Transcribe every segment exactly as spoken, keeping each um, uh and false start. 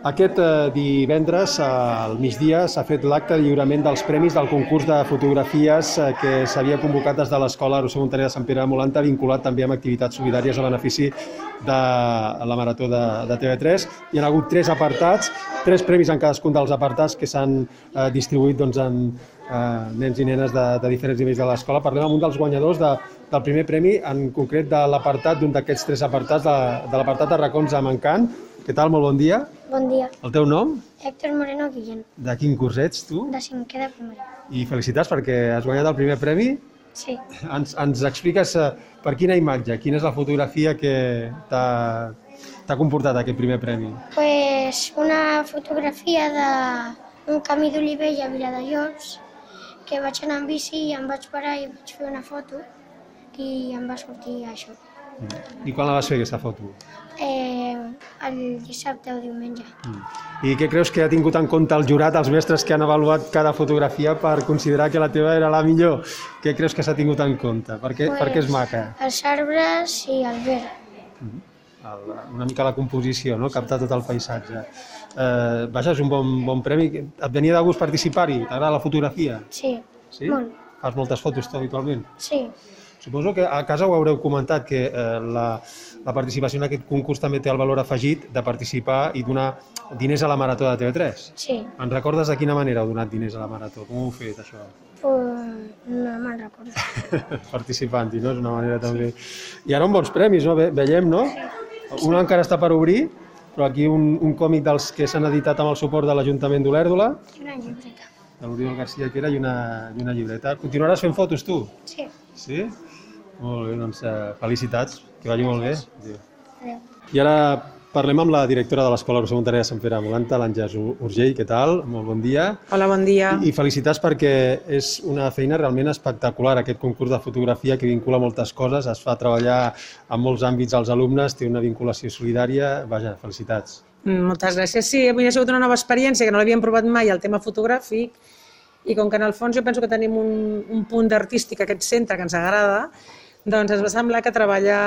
Aquest divendres, al migdia, s'ha fet l'acte de lliurament dels premis del concurs de fotografies que s'havia convocat des de l'Escola Roser Montaner de Sant Pere de Molanta, vinculat també amb activitats solidàries a benefici de la Marató de, de T V tres. Hi ha hagut tres apartats, tres premis en cadascun dels apartats que s'han eh, distribuït doncs, en eh, nens i nenes de, de diferents nivells de l'escola. Parlem amb un dels guanyadors de, del primer premi, en concret de l'apartat, d'un d'aquests tres apartats, de, de l'apartat de racons a Mancant. Què tal? Molt bon dia. Bon dia. El teu nom? Héctor Moreno Guillén. De quin curs ets, tu? De cinquè de primària. I felicitats perquè has guanyat el primer premi. Sí. Ens, ens expliques uh, per quina imatge, quina és la fotografia que t'ha comportat aquest primer premi? Pues una fotografia d'un camí d'Olivella a Viladejos, que vaig anar amb bici i em vaig parar i vaig fer una foto i em va sortir això. I quan la vas fer, aquesta foto? Eh, el dissabte o diumenge. Mm. I què creus que ha tingut en compte el jurat, els mestres que han avaluat cada fotografia per considerar que la teva era la millor? Què creus que s'ha tingut en compte? Per què, pues, per què és maca? Els arbres i el verd. Mm. El, una mica la composició, no? Captar tot el paisatge. Eh, vaja, és un bon, bon premi. Et venia de gust participar-hi? T'agrada la fotografia? Sí, sí? Molt. Fas moltes fotos tu habitualment? Sí. Suposo que a casa ho haureu comentat, que eh, la, la participació en aquest concurs també té el valor afegit de participar i donar diners a la Marató de T V tres. Sí. En recordes de quina manera heu donat diners a la Marató? Com ho heu fet, això? Pues no me'n recordo. Participant-hi, no? És una manera també... I ara uns bons premis, no? Ve, veiem, no? Sí. Un encara està per obrir, però aquí un, un còmic dels que s'han editat amb el suport de l'Ajuntament d'Olèrdola. I una llibreta. De l'Oriol García Quera i una, i una llibreta. Continuaràs fent fotos, tu? Sí. Sí? Molt bé, doncs eh, felicitats, que vagi molt bé. Adéu. I ara parlem amb la directora de l'Escola Roser Montaner de Sant Pere de Molanta, l'Àngels Urgell. Què tal? Molt bon dia. Hola, bon dia. I, I felicitats perquè és una feina realment espectacular, aquest concurs de fotografia que vincula moltes coses, es fa treballar en molts àmbits als alumnes, té una vinculació solidària. Vaja, felicitats. Moltes gràcies. Sí, avui ha sigut una nova experiència, que no l'havíem provat mai, el tema fotogràfic, i com que en el fons jo penso que tenim un, un punt d'artístic a aquest centre que ens agrada, doncs ens va semblar que treballar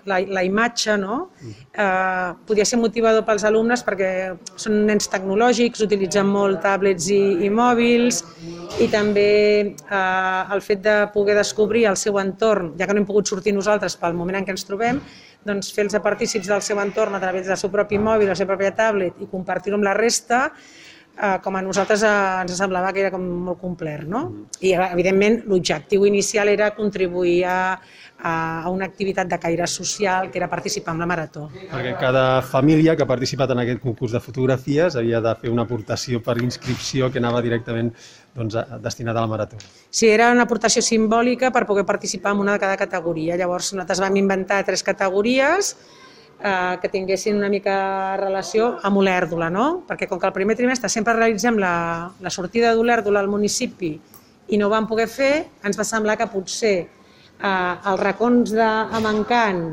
la, la imatge, no? eh, podia ser motivador pels alumnes perquè són nens tecnològics, utilitzen molt tablets i, i mòbils, i també eh, el fet de poder descobrir el seu entorn, ja que no hem pogut sortir nosaltres pel moment en què ens trobem, doncs fer-los partícips del seu entorn a través del seu propi mòbil, la seva pròpia tablet, i compartir-ho amb la resta, eh, com a nosaltres eh, ens semblava que era com molt complet, no? I evidentment l'objectiu inicial era contribuir a, a una activitat de caire social, que era participar en la Marató. Perquè cada família que ha participat en aquest concurs de fotografies havia de fer una aportació per inscripció que anava directament doncs, destinada a la Marató. Sí, era una aportació simbòlica per poder participar en una de cada categoria. Llavors nosaltres vam inventar tres categories eh, que tinguessin una mica relació amb Olèrdola, no? Perquè com que el primer trimestre sempre realitzem la, la sortida d'Olèrdola al municipi i no ho vam poder fer, ens va semblar que potser eh, els racons de Mancant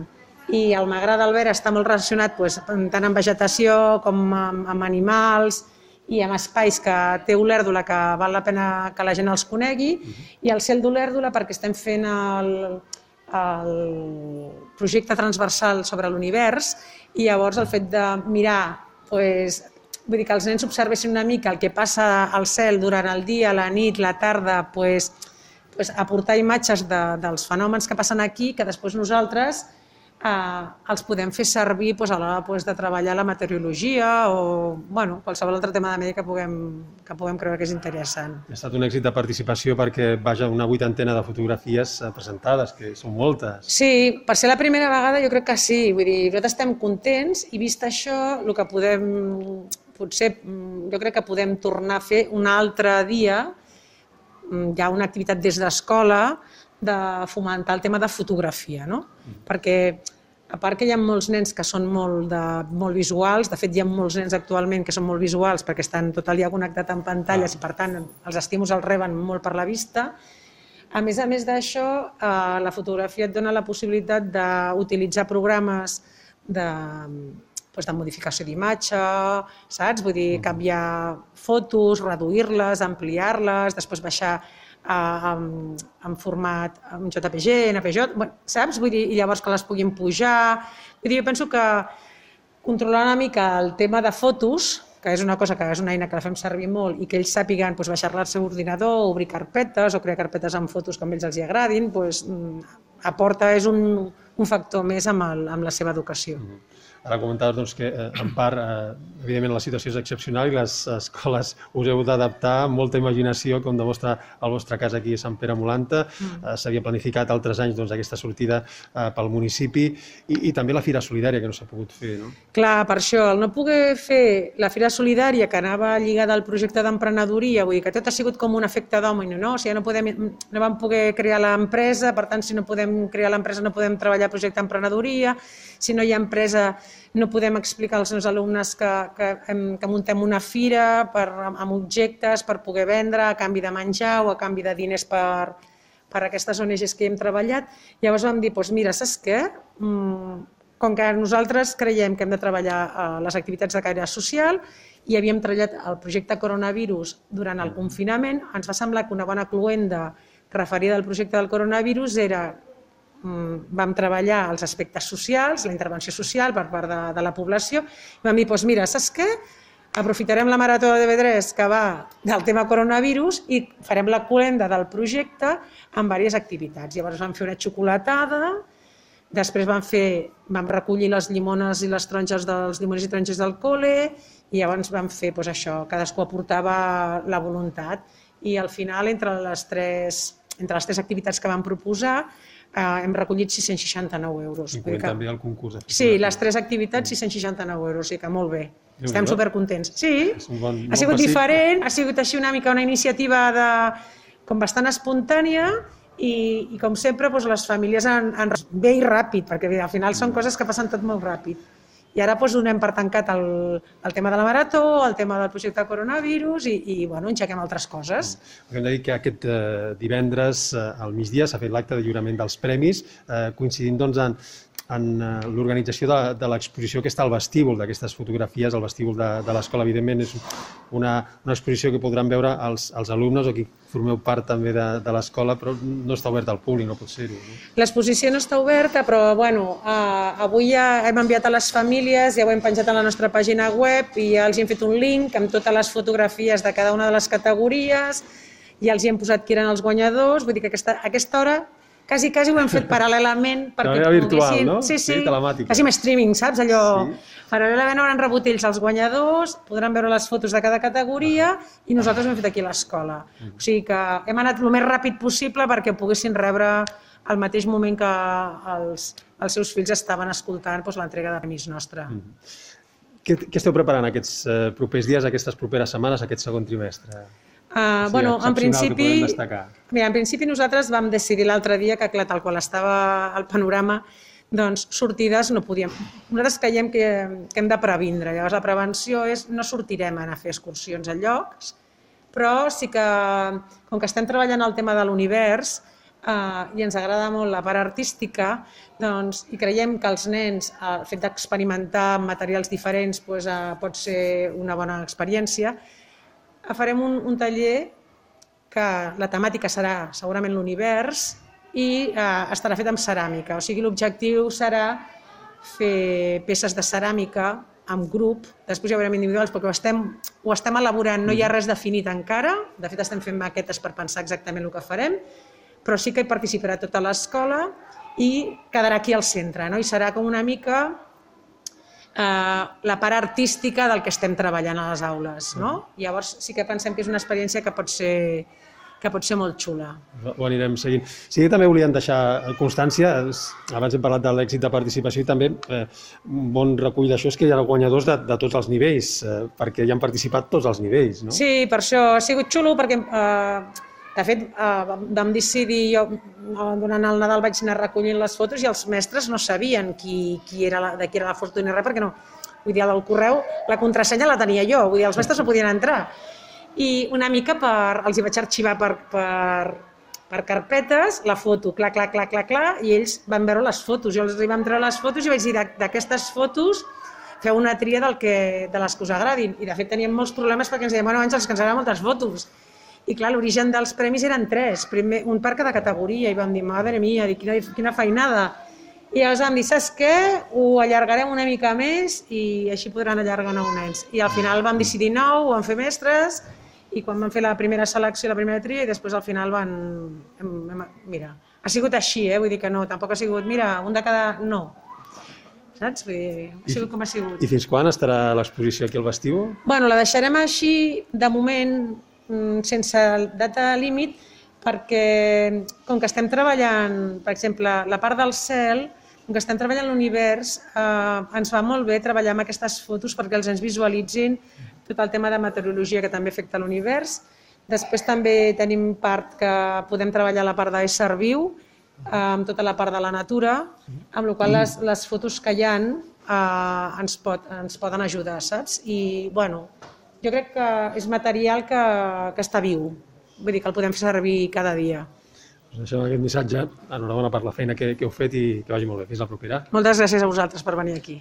i el Magrar d'Albera està molt relacionat doncs, tant amb vegetació com amb, amb animals i amb espais que té Olèrdola que val la pena que la gent els conegui, i el Cel d'Olèrdola perquè estem fent el, el projecte transversal sobre l'univers, i llavors el fet de mirar, doncs, vull dir que els nens observessin una mica el que passa al cel durant el dia, la nit, la tarda, doncs, doncs aportar imatges de, dels fenòmens que passen aquí, que després nosaltres eh, els podem fer servir doncs, a l'hora doncs, de treballar la meteorologia o bueno, qualsevol altre tema de medi que puguem, que puguem creure que és interessant. Ha estat un èxit de participació perquè vaja una vuitantena de fotografies presentades, que són moltes. Sí, per ser la primera vegada jo crec que sí, vull dir, nosaltres estem contents i vist això, el que podem, potser jo crec que podem tornar a fer un altre dia, hi ha una activitat des d'escola de fomentar el tema de fotografia, no? Mm. Perquè a part que hi ha molts nens que són molt, de, molt visuals, de fet hi ha molts nens actualment que són molt visuals perquè estan tot el dia connectats amb pantalles i per tant els estímuls els reben molt per la vista. A més a més d'això, eh, la fotografia et dona la possibilitat d'utilitzar programes de, doncs, de modificació d'imatge, saps? Vull dir, canviar fotos, reduir-les, ampliar-les, després baixar en, en format en J P G, en N P J, bueno, saps? Vull dir, i llavors que les puguin pujar. Vull dir, jo penso que controlar una mica el tema de fotos, que és una cosa que és una eina que la fem servir molt i que ells sàpiguen doncs, baixar-la al seu ordinador, obrir carpetes o crear carpetes amb fotos que a ells els hi agradin, doncs, aporta, és un, un factor més amb, el, amb la seva educació. Mm-hmm. Ara comentaves doncs, que, en part, eh, evidentment, la situació és excepcional i les escoles us heu d'adaptar amb molta imaginació, com demostra el vostre cas aquí a Sant Pere Molanta. Mm. Eh, S'havia planificat altres anys doncs, aquesta sortida eh, pel municipi i, i també la Fira Solidària, que no s'ha pogut fer, no? Clar, per això, el no poder fer la Fira Solidària, que anava lligada al projecte d'emprenedoria, vull dir que tot ha sigut com un efecte domino, no? O sigui, no, podem, no vam poder crear l'empresa, per tant, si no podem crear l'empresa no podem treballar el projecte d'emprenedoria, si no hi ha empresa no podem explicar als meus alumnes que, que, que muntem una fira per, amb objectes per poder vendre a canvi de menjar o a canvi de diners per, per aquestes O N Ges que hi hem treballat. Llavors vam dir, doncs mira, saps què? Com que nosaltres creiem que hem de treballar les activitats de caire social i havíem treballat el projecte coronavirus durant el confinament, ens va semblar que una bona cloenda referida al projecte del coronavirus era vam treballar els aspectes socials, la intervenció social per part de, de la població, i vam dir, doncs mira, saps què? Aprofitarem la marató de T V tres que va del tema coronavirus i farem la cloenda del projecte amb diverses activitats. Llavors vam fer una xocolatada, després vam, fer, vam recollir les llimones i les taronges dels llimoners i taronges del col·le i llavors vam fer doncs, això, cadascú aportava la voluntat i al final entre les tres, entre les tres activitats que vam proposar Uh, hem recollit sis-cents seixanta-nou euros. Incloent també el concurs. Sí, les tres activitats, sis-cents seixanta-nou euros, sí que molt bé. Estem supercontents. Sí, ha sigut diferent, ha sigut així una mica una iniciativa de, com bastant espontània i, i com sempre doncs, les famílies han, han bé i ràpid, perquè al final són coses que passen tot molt ràpid. I ara doncs, donem per tancat el, el tema de la marató, el tema del projecte coronavirus i, i bueno, enxequem altres coses. Hem de dir que aquest eh, divendres eh, al migdia s'ha fet l'acte de lliurament dels premis, eh, coincidint doncs, en, en eh, l'organització de, de l'exposició que està al vestíbul d'aquestes fotografies, al vestíbul de, de l'escola. Evidentment és una, una exposició que podran veure els, els alumnes o qui formeu part també de, de l'escola, però no està oberta al públic, no pot ser-ho. No? L'exposició no està oberta, però bueno, eh, avui ja hem enviat a les famílies, ja ho hem penjat a la nostra pàgina web i ja els hem fet un link amb totes les fotografies de cada una de les categories, ja els hi hem posat qui eren els guanyadors, vull dir que aquesta, aquesta hora quasi, quasi ho hem fet paral·lelament perquè no, virtual, no? Sí, sí, sí, telemàtica. Quasi amb streaming, saps? Allò, sí. Paral·lelament hauran rebut ells els guanyadors, podran veure les fotos de cada categoria i nosaltres ho hem fet aquí a l'escola. Mm. O sigui que hem anat el més ràpid possible perquè poguessin rebre al mateix moment que els, els seus fills estaven escoltant doncs, l'entrega de premis nostra. Mm. Què, què esteu preparant aquests eh, propers dies, aquestes properes setmanes, aquest segon trimestre? Uh, sí, bueno, en principi, mira, en principi nosaltres vam decidir l'altre dia que, clar, tal qual estava el panorama, doncs sortides no podíem. Nosaltres creiem que, que hem de previndre. Llavors la prevenció és no sortirem a anar a fer excursions a llocs, però sí que, com que estem treballant el tema de l'univers uh, i ens agrada molt la part artística, doncs, i creiem que els nens, el fet d'experimentar materials diferents doncs, uh, pot ser una bona experiència, farem un, un taller que la temàtica serà segurament l'univers i eh, estarà fet amb ceràmica. O sigui, l'objectiu serà fer peces de ceràmica amb grup, després ja veurem individuals perquè ho estem, ho estem elaborant, no hi ha res definit encara, de fet estem fent maquetes per pensar exactament el que farem, però sí que hi participarà tota l'escola i quedarà aquí al centre, no? I serà com una mica Uh, la part artística del que estem treballant a les aules, no? Llavors sí que pensem que és una experiència que pot ser, que pot ser molt xula. Ho anirem seguint. Sí que també volíem deixar constància, abans hem parlat de l'èxit de participació i també eh, un bon recull d'això és que hi ha guanyadors de, de tots els nivells, eh, perquè hi han participat tots els nivells, no? Sí, per això ha sigut xulo, perquè eh, de fet eh, vam decidir, jo durant el Nadal vaig anar recollint les fotos i els mestres no sabien qui, qui era la, de qui era la foto ni res, perquè no, vull dir, al correu la contrasenya la tenia jo, vull dir, els mestres no podien entrar. I una mica per, els hi vaig arxivar per, per, per carpetes la foto, clar, clar, clar, clar, clar, i ells van veure les fotos, jo els vam treure les fotos i vaig dir, d'aquestes fotos feu una tria del que, de les que us agradin, i de fet teníem molts problemes perquè ens deien, bueno, Àngels, que ens agraden moltes fotos. I clar, l'origen dels premis eren tres, primer, un per cada categoria, i vam dir, madre mia, quina, quina feinada. I llavors vam dir, saps què? Ho allargarem una mica més i així podran allargar nou nens. I al final vam decidir nou, ho vam fer mestres, i quan vam fer la primera selecció, la primera tria, i després al final van... Hem, hem, mira, ha sigut així, eh? Vull dir que no, tampoc ha sigut, mira, un de cada... No. Saps? Vull dir, ha sigut com ha sigut. I fins quan estarà l'exposició aquí al vestíbul? Bueno, la deixarem així, de moment, sense data límit, perquè com que estem treballant, per exemple, la part del cel, com que estem treballant l'univers, eh, ens va molt bé treballar amb aquestes fotos perquè els ens visualitzin tot el tema de meteorologia que també afecta l'univers. Després també tenim part que podem treballar la part d'ésser viu, eh, amb tota la part de la natura, amb la qual les, les fotos que hi ha eh, ens, pot, ens poden ajudar, saps? I, bueno, jo crec que és material que, que està viu, vull dir que el podem fer servir cada dia. Us deixem aquest missatge. Enhorabona per la feina que, que heu fet i que vagi molt bé. Fins la propera. Moltes gràcies a vosaltres per venir aquí.